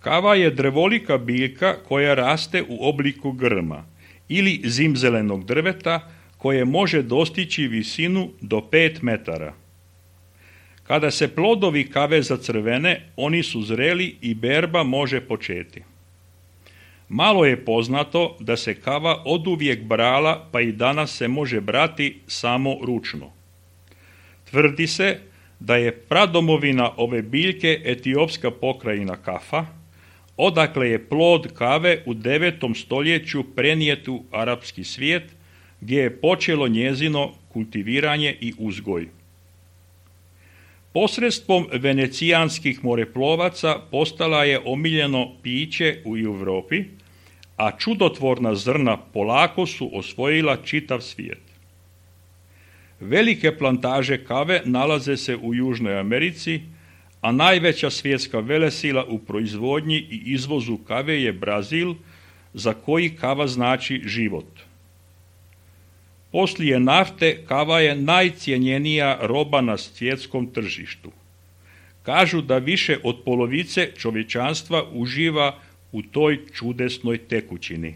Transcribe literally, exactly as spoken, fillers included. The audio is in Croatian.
Kava je drvolika biljka koja raste u obliku grma ili zimzelenog drveta koje može dostići visinu do pet metara. Kada se plodovi kave zacrvene, oni su zreli i berba može početi. Malo je poznato da se kava oduvijek brala, pa i danas se može brati samo ručno. Tvrdi se da je pradomovina ove biljke etiopska pokrajina Kafa, odakle je plod kave u devetom stoljeću prenijet u arapski svijet, gdje je počelo njezino kultiviranje i uzgoj. Posredstvom venecijanskih moreplovaca postala je omiljeno piće u Europi, a čudotvorna zrna polako su osvojila čitav svijet. Velike plantaže kave nalaze se u Južnoj Americi, a najveća svjetska velesila u proizvodnji i izvozu kave je Brazil, za koji kava znači život. Poslije nafte, kava je najcjenjenija roba na svjetskom tržištu. Kažu da više od polovice čovječanstva uživa u toj čudesnoj tekućini.